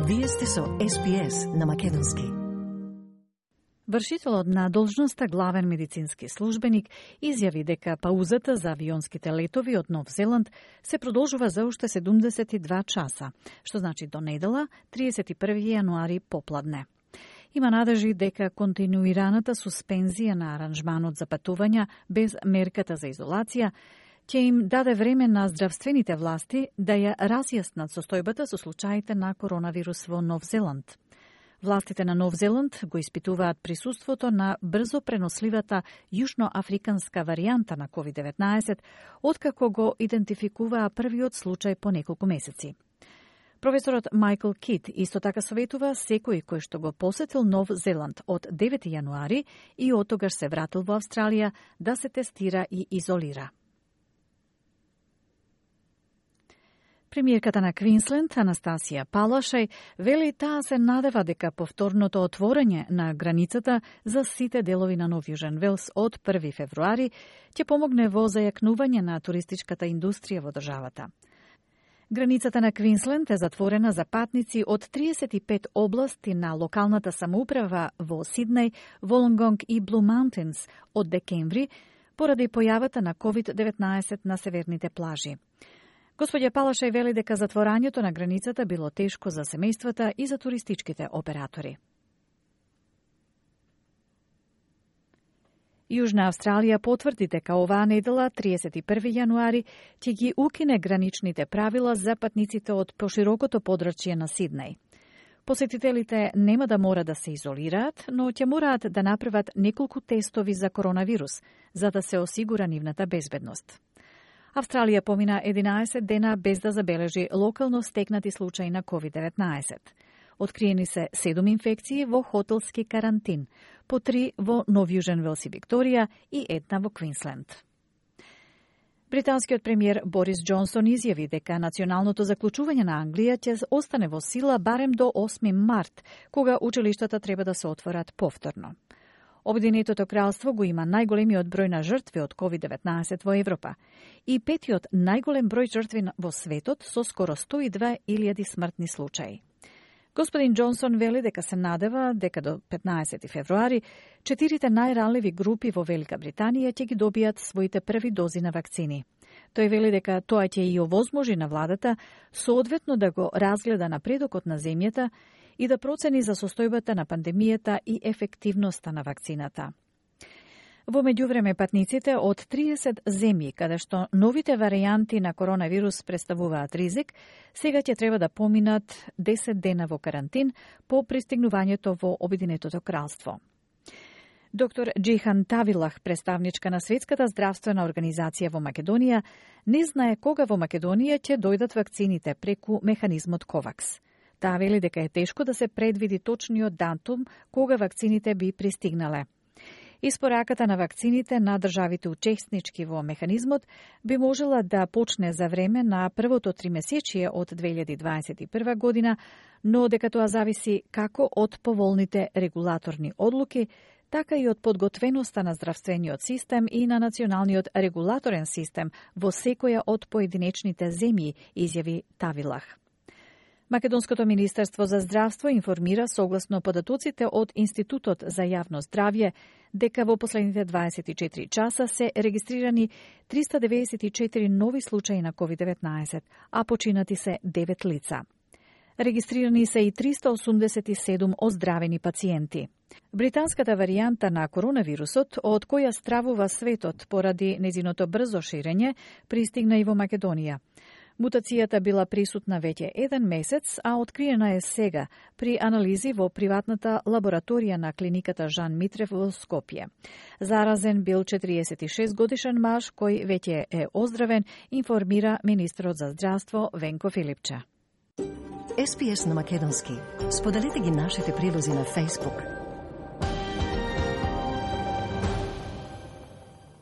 Вие сте со СПС на македонски. Вршителот на должноста главен медицински службеник изјави дека паузата за авионските летови од Нов Зеланд се продолжува за уште 72 часа, што значи до недела, 31 јануари попладне. Има надежи дека континуираната суспензија на аранжманот за патувања без мерката за изолација ќе им даде време на здравствените власти да ја разјаснат состојбата со случаите на коронавирус во Нов Зеланд. Властите на Нов Зеланд го испитуваат присуството на брзо преносливата јужноафриканска варијанта на COVID-19, откако го идентификуваа првиот случај по неколку месеци. Професорот Майкл Кит исто така советува секој кој што го посетил Нов Зеланд од 9 јануари и оттогаш се вратил во Австралија да се тестира и изолира. Премиерката на Квинсленд, Анастасија Палашај, вели таа се надева дека повторното отворање на границата за сите делови на Нов Јужен Велс од 1 февруари ќе помогне во зајакнување на туристичката индустрија во државата. Границата на Квинсленд е затворена за патници од 35 области на локалната самоуправа во Сиднеј, Волонгонг и Блу Маунтинс од декември поради појавата на COVID-19 на северните плажи. Господја Палашај вели дека затворањето на границата било тешко за семејствата и за туристичките оператори. Јужна Австралија потврди дека оваа недела, 31 јануари, ќе ги укине граничните правила за патниците од поширокото подрачје на Сиднеј. Посетителите нема да мора да се изолираат, но ќе мораат да направат неколку тестови за коронавирус, за да се осигура нивната безбедност. Австралија помина 11 дена без да забележи локално стекнати случаи на COVID-19. Откриени се 7 инфекции во хотелски карантин, по 3 во Нов Јужен Велс и Викторија и 1 во Квинсленд. Британскиот премиер Борис Џонсон изјави дека националното заклучување на Англија ќе остане во сила барем до 8 март, кога училиштата треба да се отворат повторно. Обединетото кралство го има најголемиот број на жртви од COVID-19 во Европа и петиот најголем број жртви во светот со скоро 102.000 смртни случаи. Господин Џонсон вели дека се надева дека до 15 февруари 4 најранливи групи во Велика Британија ќе ги добијат своите први дози на вакцини. Тој вели дека тоа ќе и овозможи на владата соодветно да го разгледа напредокот на земјата и да процени за состојбата на пандемијата и ефективноста на вакцината. Во меѓувреме, патниците од 30 земји, каде што новите варијанти на коронавирус представуваат ризик, сега ќе треба да поминат 10 дена во карантин по пристигнувањето во Обединетото кралство. Доктор Џихан Тавилах, представничка на Светската здравствена организација во Македонија, не знае кога во Македонија ќе дојдат вакцините преку механизмот КОВАКС. Таа вели дека е тешко да се предвиди точниот датум кога вакцините би пристигнале. Испораката на вакцините на државите учеснички во механизмот би можела да почне за време на првото тримесечие од 2021 година, но дека тоа зависи како од поволните регулаторни одлуки, така и од подготвеноста на здравствениот систем и на националниот регулаторен систем во секоја од поединечните земји, изјави Тавилах. Македонското Министерство за здравство информира согласно податоците од Институтот за јавно здравје дека во последните 24 часа се регистрирани 394 нови случаи на COVID-19, а починати се 9 лица. Регистрирани се и 387 оздравени пациенти. Британската варијанта на коронавирусот, од која стравува светот поради незиното брзо ширење, пристигна и во Македонија. Мутацијата била присутна веќе 1 месец, а откриена е сега при анализи во приватната лабораторија на клиниката Жан Митрев во Скопје. Заразен бил 46 годишен маж кој веќе е оздравен, информира министерот за здравство Венко Филипче. СПС на македонски. Споделете ги нашите прилози на Facebook.